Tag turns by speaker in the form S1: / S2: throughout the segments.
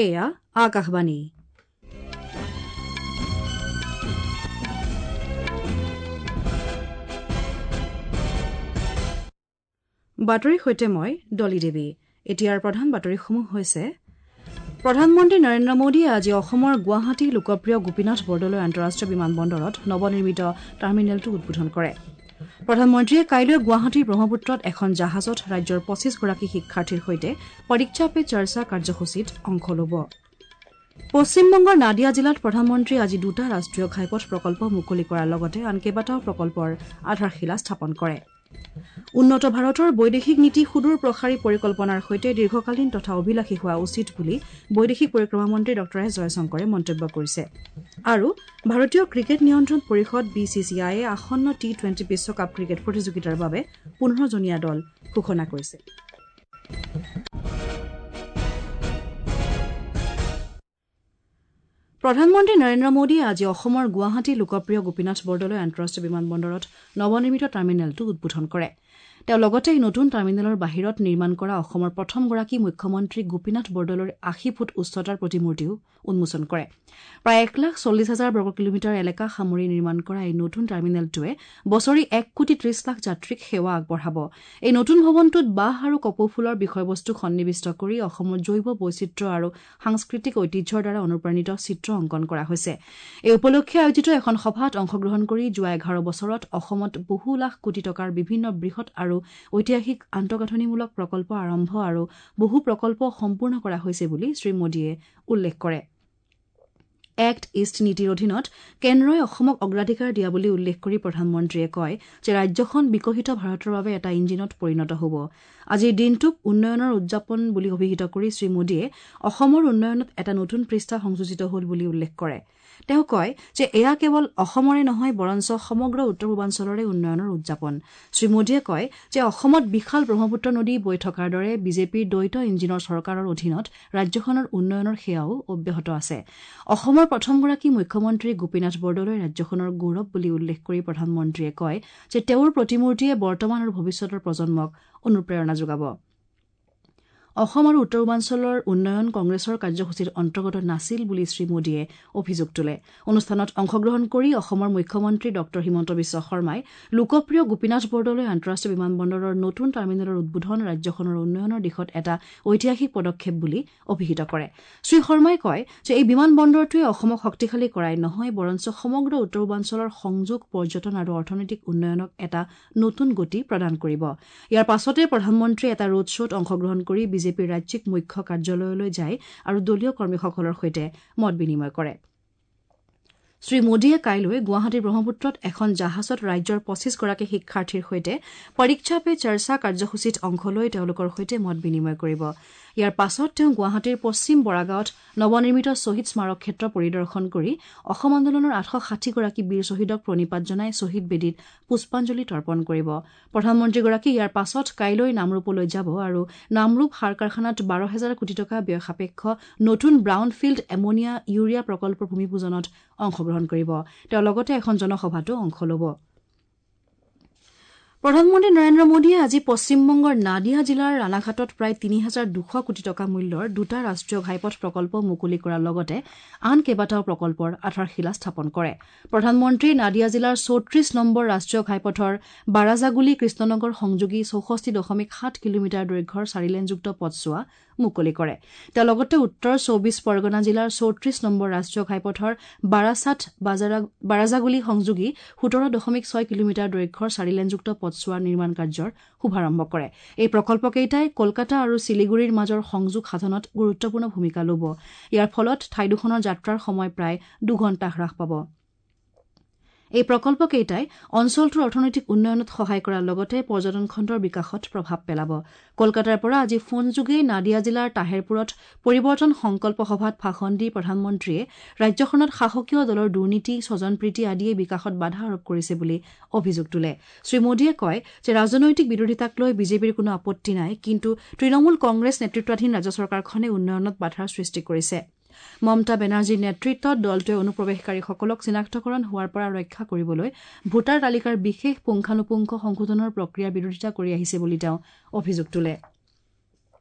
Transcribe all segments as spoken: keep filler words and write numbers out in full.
S1: এয়া আকাশবাণী। বাতৰিৰ সৈতে মই ডলি দেৱী। এতিয়াৰ প্ৰধান বাতৰিসমূহ হৈছে: প্ৰধানমন্ত্ৰী নৰেন্দ্ৰ মোদীয়ে আজি অসমৰ গুৱাহাটী লোকপ্ৰিয় গোপীনাথ বৰদলৈ আন্তঃৰাষ্ট্ৰীয় বিমানবন্দৰত নৱনিৰ্মিত টাৰ্মিনেলটো উদ্বোধন কৰে। প্ৰধানমন্ত্ৰীয়ে কাইলৈ গুৱাহাটীৰ ব্ৰহ্মপুত্ৰত এখন জাহাজত ৰাজ্যৰ পঁচিছগৰাকী শিক্ষাৰ্থীৰ সৈতে পৰীক্ষা পে চৰ্চা কাৰ্যসূচীত অংশ ল'ব। পশ্চিমবংগৰ নাদিয়া জিলাত প্ৰধানমন্ত্ৰীয়ে আজি দুটা ৰাষ্ট্ৰীয় ঘাইপথ প্ৰকল্প মুকলি কৰাৰ লগতে আন কেইবাটাও প্ৰকল্পৰ আধাৰশিলা স্থাপন কৰে। উন্নত ভাৰতৰ বৈদেশিক নীতি সুদূৰ প্ৰসাৰী পৰিকল্পনাৰ সৈতে দীৰ্ঘকালীন তথা অভিলাষী হোৱা উচিত বুলি বৈদেশিক পৰিক্ৰমা মন্ত্ৰী ডঃ এছ জয়শংকৰে মন্তব্য কৰিছে। আৰু ভাৰতীয় ক্ৰিকেট নিয়ন্ত্ৰণ পৰিষদ বি চি চি আইয়ে আসন্ন টি টুৱেণ্টি বিশ্বকাপ ক্ৰিকেট প্ৰতিযোগিতাৰ বাবে পোন্ধৰজনীয়া দল ঘোষণা কৰিছে। প্ৰধানমন্ত্ৰী নৰেন্দ্ৰ মোদীয়ে আজি অসমৰ গুৱাহাটী লোকপ্ৰিয় গোপীনাথ বৰদলৈ আন্তঃৰাষ্ট্ৰীয় বিমানবন্দৰত নৱনিৰ্মিত টাৰ্মিনেলটো উদ্বোধন কৰে। তেওঁ লগতে এই নতুন টাৰ্মিনেলৰ বাহিৰত নিৰ্মাণ কৰা অসমৰ প্ৰথমগৰাকী মুখ্যমন্ত্ৰী গোপীনাথ বৰদলৈৰ আশী ফুট উচ্চতাৰ প্ৰতিমূৰ্তিও উন্মোচন কৰে। প্ৰায় এক লাখ চল্লিছ হাজাৰ বৰ্গ কিলোমিটাৰ এলেকা সামৰি নিৰ্মাণ কৰা এই নতুন টাৰ্মিনেলটোৱে বছৰি এক কোটি ত্ৰিশ লাখ যাত্ৰীক সেৱা আগবঢ়াব। এই নতুন ভৱনটোত বাঁহ আৰু কপৌফুলৰ বিষয়বস্তু সন্নিৱিষ্ট কৰি অসমৰ জৈৱ বৈচিত্ৰ্য আৰু সাংস্কৃতিক ঐতিহ্যৰ দ্বাৰা অনুপ্ৰাণিত চিত্ৰ অংকন কৰা হৈছে। এই উপলক্ষে আয়োজিত এখন সভাত অংশগ্ৰহণ কৰি যোৱা এঘাৰ বছৰত অসমত বহু লাখ কোটি টকাৰ বিভিন্ন বৃহৎ আৰু ঐতিহাসিক আন্তঃগাঁথনিমূলক প্ৰকল্প আৰম্ভ আৰু বহু প্ৰকল্প সম্পূৰ্ণ কৰা হৈছে বুলি শ্ৰীমোদীয়ে উল্লেখ কৰে। এক্ট ইষ্ট নীতিৰ অধীনত কেন্দ্ৰই অসমক অগ্ৰাধিকাৰ দিয়া বুলি উল্লেখ কৰি প্ৰধানমন্ত্ৰীয়ে কয় যে ৰাজ্যখন বিকশিত ভাৰতৰ বাবে এটা ইঞ্জিনত পৰিণত হ'ব। আজিৰ দিনটোক উন্নয়নৰ উদযাপন বুলি অভিহিত কৰি শ্ৰীমোদীয়ে অসমৰ উন্নয়নত এটা নতুন পৃষ্ঠা সংযোজিত হ'ল বুলি উল্লেখ কৰে। তেওঁ কয় যে এয়া কেৱল অসমৰে নহয় বৰঞ্চ সমগ্ৰ উত্তৰ পূৰ্বাঞ্চলৰে উন্নয়নৰ উদযাপন। শ্ৰীমোদীয়ে কয় যে অসমত বিশাল ব্ৰহ্মপুত্ৰ নদী বৈ থকাৰ দৰে বিজেপিৰ দ্বৈত ইঞ্জিনৰ চৰকাৰৰ অধীনত ৰাজ্যখনৰ উন্নয়নৰ সেৱাও অব্যাহত আছে। অসমৰ প্ৰথমগৰাকী মুখ্যমন্ত্ৰী গোপীনাথ বৰদলৈ ৰাজ্যখনৰ গৌৰৱ বুলি উল্লেখ কৰি প্ৰধানমন্ত্ৰীয়ে কয় যে তেওঁৰ প্ৰতিমূৰ্তিয়ে বৰ্তমান আৰু ভৱিষ্যতৰ প্ৰজন্মক অনুপ্ৰেৰণা যোগাব। অসম আৰু উত্তৰ পূৰ্বাঞ্চলৰ উন্নয়ন কংগ্ৰেছৰ কাৰ্যসূচীৰ অন্তৰ্গত নাছিল বুলি শ্ৰীমোদীয়ে অভিযোগ তোলে। অনুষ্ঠানত অংশগ্ৰহণ কৰি অসমৰ মুখ্যমন্ত্ৰী ডঃ হিমন্ত বিশ্ব শৰ্মাই লোকপ্ৰিয় গোপীনাথ বৰদলৈ আন্তঃৰাষ্ট্ৰীয় বিমানবন্দৰৰ নতুন টাৰ্মিনেলৰ উদ্বোধন ৰাজ্যখনৰ উন্নয়নৰ দিশত এটা ঐতিহাসিক পদক্ষেপ বুলি অভিহিত কৰে। শ্ৰীশৰ্মাই কয় যে এই বিমানবন্দৰটোৱে অসমক শক্তিশালী কৰাই নহয় বৰঞ্চ সমগ্ৰ উত্তৰ পূৰ্বাঞ্চলৰ সংযোগ, পৰ্যটন আৰু অৰ্থনৈতিক উন্নয়নক এটা নতুন গতি প্ৰদান কৰিব। ইয়াৰ পাছতে প্ৰধানমন্ত্ৰীয়ে এটা ৰোড শ্ব'ত অংশগ্ৰহণ কৰি বিজেপিৰ ৰাজ্যিক মুখ্য কাৰ্যালয়লৈ যায় আৰু দলীয় কৰ্মীসকলৰ সৈতে মত বিনিময় কৰে। শ্ৰীমোদীয়ে কাইলৈ গুৱাহাটীৰ ব্ৰহ্মপুত্ৰত এখন জাহাজত ৰাজ্যৰ পঁচিছগৰাকী শিক্ষাৰ্থীৰ সৈতে পৰীক্ষা পে চৰ্চা কাৰ্যসূচীত অংশ লৈ তেওঁলোকৰ সৈতে মত বিনিময় কৰিব। ইয়াৰ পাছত তেওঁ গুৱাহাটীৰ পশ্চিম বৰাগাঁৱত নৱনিৰ্মিত শ্বহীদ স্মাৰক ক্ষেত্ৰ পৰিদৰ্শন কৰি অসম আন্দোলনৰ আঠশ ষাঠিগৰাকী বীৰ শ্বহীদক প্ৰণিপাত জনাই শ্বহীদ বেদীত পুষ্পাঞ্জলি তৰ্পণ কৰিব। প্ৰধানমন্ত্ৰীগৰাকী ইয়াৰ পাছত কাইলৈ নামৰূপলৈ যাব আৰু নামৰূপ সাৰ কাৰখানাত বাৰ হেজাৰ কোটি টকা ব্যয় সাপেক্ষ নতুন ব্ৰাউন ফিল্ড এমনিয়া ইউৰিয়া প্ৰকল্পৰ ভূমিপূজনত অংশগ্ৰহণ কৰিব। তেওঁ লগতে এখন জনসভাতো অংশ ল'ব। প্ৰধানমন্ত্ৰী নৰেন্দ্ৰ মোদীয়ে আজি পশ্চিমবংগৰ নাদিয়া জিলাৰ ৰাণাঘাটত প্ৰায় তিনি হাজাৰ দুশ কোটি টকা মূল্যৰ দুটা ৰাষ্ট্ৰীয় ঘাইপথ প্ৰকল্প মুকলি কৰাৰ লগতে আন কেইবাটাও প্ৰকল্পৰ আধাৰশিলা স্থাপন কৰে। প্ৰধানমন্ত্ৰীয়ে নাদিয়া জিলাৰ চৌত্ৰিশ নম্বৰ ৰাষ্ট্ৰীয় ঘাইপথৰ বাৰাজাগুলি কৃষ্ণনগৰ সংযোগী চৌষষ্ঠি দশমিক সাত কিলোমিটাৰ দৈৰ্ঘ্যৰ চাৰিলেনযুক্ত পথছোৱা মুকলি কৰে। তেওঁ লগতে উত্তৰ চৌবিশ পৰগনা জিলাৰ চৌত্ৰিশ নম্বৰ ৰাষ্ট্ৰীয় ঘাইপথৰ বাৰাছাট বাৰাজাগুলি সংযোগী সোতৰ দশমিক ছয় কিলোমিটাৰ দৈৰ্ঘ্যৰ চাৰিলেনযুক্ত পথছোৱাৰ নিৰ্মাণ কাৰ্যৰ শুভাৰম্ভ কৰে। এই প্ৰকল্পকেইটাই কলকাতা আৰু শিলিগুৰিৰ মাজৰ সংযোগ সাধনত গুৰুত্বপূৰ্ণ ভূমিকা ল'ব। ইয়াৰ ফলত ঠাই দুখনৰ যাত্ৰাৰ সময় প্ৰায় দুঘণ্টা হ্ৰাস পাব। এই প্ৰকল্পকেইটাই অঞ্চলটোৰ অৰ্থনৈতিক উন্নয়নত সহায় কৰাৰ লগতে পৰ্যটন খণ্ডৰ বিকাশত প্ৰভাৱ পেলাব। কলকাতাৰ পৰা আজি ফোনযোগে নাদিয়া জিলাৰ তাহেৰপুৰত পৰিৱৰ্তন সংকল্প সভাত ভাষণ দি প্ৰধানমন্ত্ৰীয়ে ৰাজ্যখনত শাসকীয় দলৰ দুৰ্নীতি, স্বজনপ্ৰীতি আদিয়ে বিকাশত বাধা আৰোপ কৰিছে বুলি অভিযোগ তোলে। শ্ৰীমোদীয়ে কয় যে ৰাজনৈতিক বিৰোধিতাক লৈ বিজেপিৰ কোনো আপত্তি নাই, কিন্তু তৃণমূল কংগ্ৰেছ নেতৃত্বাধীন ৰাজ্য চৰকাৰখনে উন্নয়নত বাধাৰ সৃষ্টি কৰিছে। মমতা বেনাৰ্জীৰ নেতৃত্বত দলটোৱে অনুপ্ৰৱেশকাৰীসকলক চিনাক্তকৰণ হোৱাৰ পৰা ৰক্ষা কৰিবলৈ ভোটাৰ তালিকাৰ বিশেষ পুংখানুপুংখ সংশোধনৰ প্ৰক্ৰিয়াৰ বিৰোধিতা কৰি আহিছে বুলি তেওঁ অভিযোগ তোলে।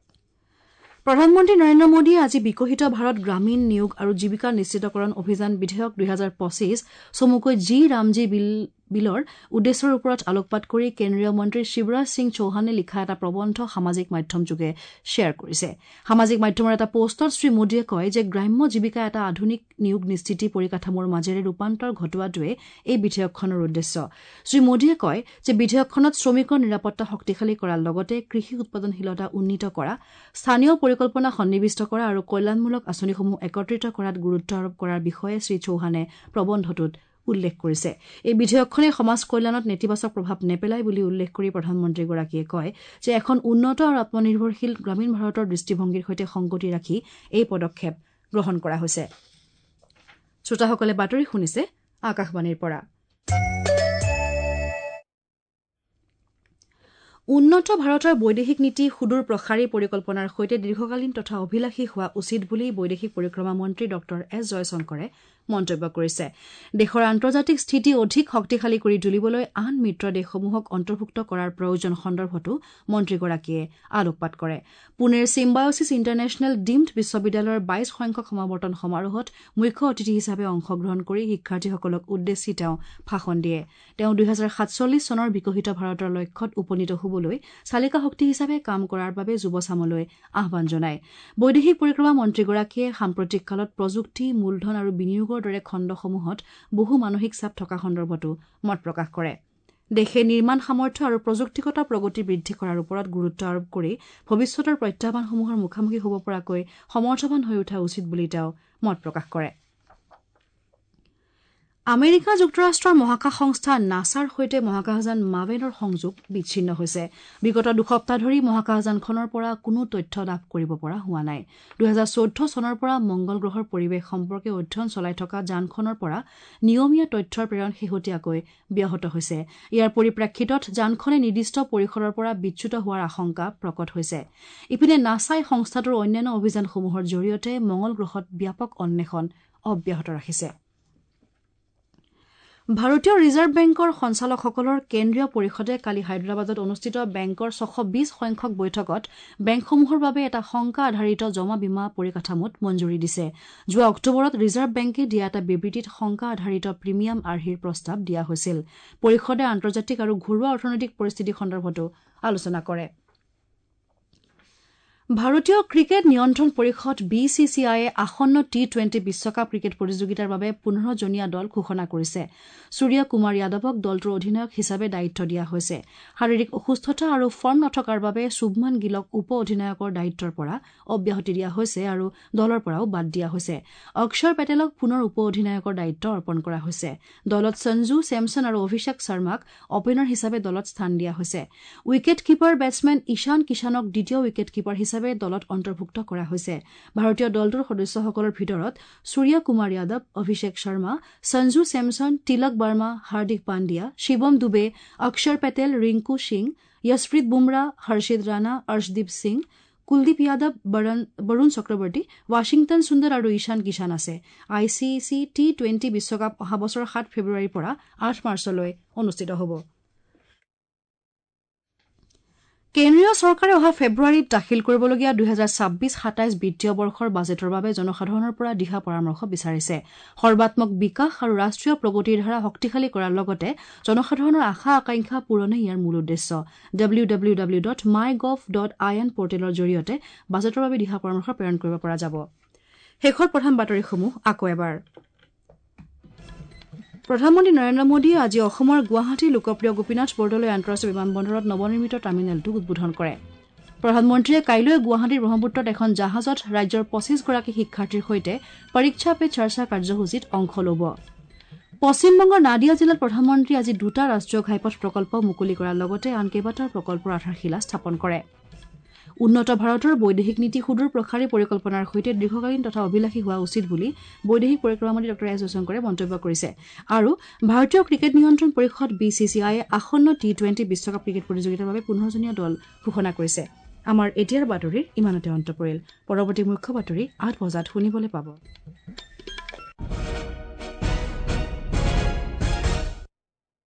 S1: প্ৰধানমন্ত্ৰী নৰেন্দ্ৰ মোদীয়ে আজি বিকশিত ভাৰত গ্ৰামীণ নিয়োগ আৰু জীৱিকা নিশ্চিতকৰণ অভিযান বিধেয়ক দুহেজাৰ পঁচিছ চমুকৈ জি ৰামজী বিল বিলৰ উদ্দেশ্যৰ ওপৰত আলোকপাত কৰি কেন্দ্ৰীয় মন্ত্ৰী শিৱৰাজ সিং চৌহানে লিখা এটা প্ৰবন্ধ সামাজিক মাধ্যমযোগে শ্বেয়াৰ কৰিছে। সামাজিক মাধ্যমৰ এটা পোষ্টত শ্ৰী মোদীয়ে কয় যে গ্ৰাম্য জীৱিকা এটা আধুনিক নিয়োগ নিশ্চিতি পৰিকাঠামোৰ মাজেৰে ৰূপান্তৰ ঘটোৱাটোৱে এই বিধেয়কখনৰ উদ্দেশ্য। শ্ৰী মোদীয়ে কয় যে বিধেয়কখনত শ্ৰমিকৰ নিৰাপত্তা শক্তিশালী কৰাৰ লগতে কৃষি উৎপাদনশীলতা উন্নীত কৰা, স্থানীয় পৰিকল্পনা সন্নিৱিষ্ট কৰা আৰু কল্যাণমূলক আঁচনিসমূহ একত্ৰিত কৰাত গুৰুত্ব আৰোপ কৰাৰ বিষয়ে শ্ৰী চৌহানে প্ৰবন্ধটোত উল্লেখ কৰিছে। এই বিধেয়কখনে সমাজ কল্যাণত নেতিবাচক প্ৰভাৱ নেপেলায় বুলি উল্লেখ কৰি প্ৰধানমন্ত্ৰীগৰাকীয়ে কয় যে এখন উন্নত আৰু আত্মনিৰ্ভৰশীল গ্ৰামীণ ভাৰতৰ দৃষ্টিভংগীৰ সৈতে সংগতি ৰাখি এই পদক্ষেপ গ্ৰহণ কৰা হৈছে। শ্ৰোতাসকলে বাতৰি শুনিছে আকাশবাণীৰ পৰা। উন্নত ভাৰতৰ বৈদেশিক নীতি সুদূৰ প্ৰসাৰী পৰিকল্পনাৰ সৈতে দীৰ্ঘকালীন তথা অভিলাষী হোৱা উচিত বুলি বৈদেশিক পৰিক্ৰমা মন্ত্ৰী ডঃ এছ জয়শংকৰে মন্তব্য কৰিছে। দেশৰ আন্তৰ্জাতিক স্থিতি অধিক শক্তিশালী কৰি তুলিবলৈ আন মিত্ৰ দেশসমূহক অন্তৰ্ভুক্ত কৰাৰ প্ৰয়োজন সন্দৰ্ভতো মন্ত্ৰীগৰাকীয়ে আলোকপাত কৰে। পুনেৰ চিম্বায়ছিছ ইণ্টাৰনেশ্যনেল ডিমড বিশ্ববিদ্যালয়ৰ বাইশ সংখ্যক সমাৱৰ্তন সমাৰোহত মুখ্য অতিথি হিচাপে অংশগ্ৰহণ কৰি শিক্ষাৰ্থীসকলক উদ্দেশ্যি তেওঁ ভাষণ দিয়ে। তেওঁ দুহেজাৰ সাতচল্লিছ চনৰ বিকশিত ভাৰতৰ লক্ষ্যত উপনীত হ'বলৈ চালিকা শক্তি হিচাপে কাম কৰাৰ বাবে যুৱচামলৈ আহ্বান জনায়। বৈদেশিক পৰিক্ৰমা মন্ত্ৰীগৰাকীয়ে সাম্প্ৰতিক কালত প্ৰযুক্তি, মূলধন আৰু বিনিয়োগৰ দৰে খণ্ডসমূহত বহু মানসিক চাপ থকা সন্দৰ্ভতো মত প্ৰকাশ কৰে। দেশে নিৰ্মাণ সামৰ্থ্য আৰু প্ৰযুক্তিগত প্ৰগতি বৃদ্ধি কৰাৰ ওপৰত গুৰুত্ব আৰোপ কৰি ভৱিষ্যতৰ প্ৰত্যাহ্বানসমূহৰ মুখামুখি হ'ব পৰাকৈ সমৰ্থবান হৈ উঠা উচিত বুলি তেওঁ মত প্ৰকাশ কৰে। আমেৰিকা যুক্তৰাষ্ট্ৰৰ মহাকাশ সংস্থা নাছাৰ সৈতে মহাকাশযান মাভেনৰ সংযোগ বিচ্ছিন্ন হৈছে। বিগত দুসপ্তাহ ধৰি মহাকাশযানখনৰ পৰা কোনো তথ্য লাভ কৰিব পৰা হোৱা নাই। দুহেজাৰ চৈধ্য চনৰ পৰা মংগল গ্ৰহৰ পৰিৱেশ সম্পৰ্কে অধ্যয়ন চলাই থকা যানখনৰ পৰা নিয়মীয়া তথ্যৰ প্ৰেৰণ শেহতীয়াকৈ ব্যাহত হৈছে। ইয়াৰ পৰিপ্ৰেক্ষিতত যানখনে নিৰ্দিষ্ট পৰিসৰৰ পৰা বিচ্যুত হোৱাৰ আশংকা প্ৰকট হৈছে। ইপিনে নাছাই সংস্থাটোৰ অন্যান্য অভিযানসমূহৰ জৰিয়তে মংগল গ্ৰহত ব্যাপক অন্বেষণ অব্যাহত ৰাখিছে। ভাৰতীয় ৰিজাৰ্ভ বেংকৰ সঞ্চালকসকলৰ কেন্দ্ৰীয় পৰিষদে কালি হায়দৰাবাদত অনুষ্ঠিত বেংকৰ ছশ বিশ সংখ্যক বৈঠকত বেংকসমূহৰ বাবে এটা শংকা আধাৰিত জমা বীমা পৰিকাঠামোত মঞ্জুৰি দিছে। যোৱা অক্টোবৰত ৰিজাৰ্ভ বেংকে দিয়া এটা বিবৃতিত শংকা আধাৰিত প্ৰিমিয়াম আৰ্হিৰ প্ৰস্তাৱ দিয়া হৈছিল। পৰিষদে আন্তৰ্জাতিক আৰু ঘৰুৱা অৰ্থনৈতিক পৰিস্থিতি সন্দৰ্ভতো আলোচনা কৰে। ভাৰতীয় ক্ৰিকেট নিয়ন্ত্ৰণ পৰিষদ বি চি চি আইয়ে আসন্ন টি টুৱেণ্টি বিশ্বকাপ ক্ৰিকেট প্ৰতিযোগিতাৰ বাবে পোন্ধৰজনীয়া দল ঘোষণা কৰিছে। সূৰ্য কুমাৰ যাদৱক দলটোৰ অধিনায়ক হিচাপে দায়িত্ব দিয়া হৈছে। শাৰীৰিক অসুস্থতা আৰু ফৰ্ম নথকাৰ বাবে শুভমান গিলক উপ অধিনায়কৰ দায়িত্বৰ পৰা অব্যাহতি দিয়া হৈছে আৰু দলৰ পৰাও বাদ দিয়া হৈছে। অক্ষৰ পেটেলক পুনৰ উপ অধিনায়কৰ দায়িত্ব অৰ্পণ কৰা হৈছে। দলত সঞ্জু চেমছন আৰু অভিষেক শৰ্মাক অপেনাৰ হিচাপে দলত স্থান দিয়া হৈছে। উইকেট কিপাৰ বেটছমেন ঈশান কিষাণক দ্বিতীয় উইকেট কিপাৰ হিচাপে দলত অন্তৰ্ভুক্ত কৰা হৈছে। ভাৰতীয় দলটোৰ সদস্যসকলৰ ভিতৰত সূৰ্য কুমাৰ যাদৱ, অভিষেক শৰ্মা, সঞ্জু চেমছন, তিলক বাৰ্মা, হাৰ্দিক পাণ্ডিয়া, শিৱম ডুবে, অক্ষৰ পেটেল, ৰিংকু সিং, যশপ্ৰীত বুমৰাহ, হৰ্ষিত ৰাণা, অৰ্শদীপ সিং, কুলদীপ যাদৱ, বৰুণ চক্ৰৱৰ্তী, ৱাশ্বিংটন সুন্দৰ আৰু ঈশান কিষাণ আছে। I C C T twenty বিশ্বকাপ অহা বছৰৰ সাত ফেব্ৰুৱাৰীৰ পৰা আঠ মাৰ্চলৈ অনুষ্ঠিত হ'ব। কেন্দ্ৰীয় চৰকাৰে অহা ফেব্ৰুৱাৰীত দাখিল কৰিবলগীয়া দুহেজাৰ ছাব্বিছ সাতাইছ বিত্তীয় বৰ্ষৰ বাজেটৰ বাবে জনসাধাৰণৰ পৰা দিহা পৰামৰ্শ বিচাৰিছে। সৰ্বাত্মক বিকাশ আৰু ৰাষ্ট্ৰীয় প্ৰগতিৰ ধাৰা শক্তিশালী কৰাৰ লগতে জনসাধাৰণৰ আশা আকাংক্ষা পূৰণেই ইয়াৰ মূল উদ্দেশ্য। W W W dot my gov dot I N পৰ্টেলৰ জৰিয়তে বাজেটৰ বাবে দিহা পৰামৰ্শ প্ৰেৰণ কৰিব পৰা যাব। শেষৰ প্ৰধান বাতৰিসমূহ আকৌ এবাৰ। প্ৰধানমন্ত্ৰী নৰেন্দ্ৰ মোদীয়ে আজি অসমৰ গুৱাহাটীৰ লোকপ্ৰিয় গোপীনাথ বৰদলৈ আন্তঃৰাষ্ট্ৰীয় বিমানবন্দৰত নৱনিৰ্মিত টাৰ্মিনেলটো উদ্বোধন কৰে। প্ৰধানমন্ত্ৰীয়ে কাইলৈ গুৱাহাটীৰ ব্ৰহ্মপুত্ৰত এখন জাহাজত ৰাজ্যৰ পঁচিছগৰাকী শিক্ষাৰ্থীৰ সৈতে পৰীক্ষা পে চৰ্চা কাৰ্যসূচীত অংশ ল'ব। পশ্চিমবংগৰ নাদিয়া জিলাত প্ৰধানমন্ত্ৰীয়ে আজি দুটা ৰাষ্ট্ৰীয় ঘাইপথ প্ৰকল্প মুকলি কৰাৰ লগতে আন কেইবাটাও প্ৰকল্পৰ আধাৰশিলা স্থাপন কৰে। উন্নত ভাৰতৰ বৈদেশিক নীতি সুদূৰ প্ৰসাৰী পৰিকল্পনাৰ সৈতে দীৰ্ঘকালীন তথা অভিলাষী হোৱা উচিত বুলি বৈদেশিক পৰিক্ৰমা মন্ত্ৰী ডঃ এছ জয়শংকৰে মন্তব্য কৰিছে। আৰু ভাৰতীয় ক্ৰিকেট নিয়ন্ত্ৰণ পৰিষদ বি চি চি আইয়ে আসন্ন টি টুৱেণ্টি বিশ্বকাপ ক্ৰিকেট প্ৰতিযোগিতাৰ বাবে পোন্ধৰজনীয়া দল ঘোষণা কৰিছে। আমাৰ এতিয়াৰ বাতৰিৰ ইমানতে অন্ত পৰিল। পৰৱৰ্তী মুখ্য বাতৰি আঠ বজাত শুনিবলৈ পাব।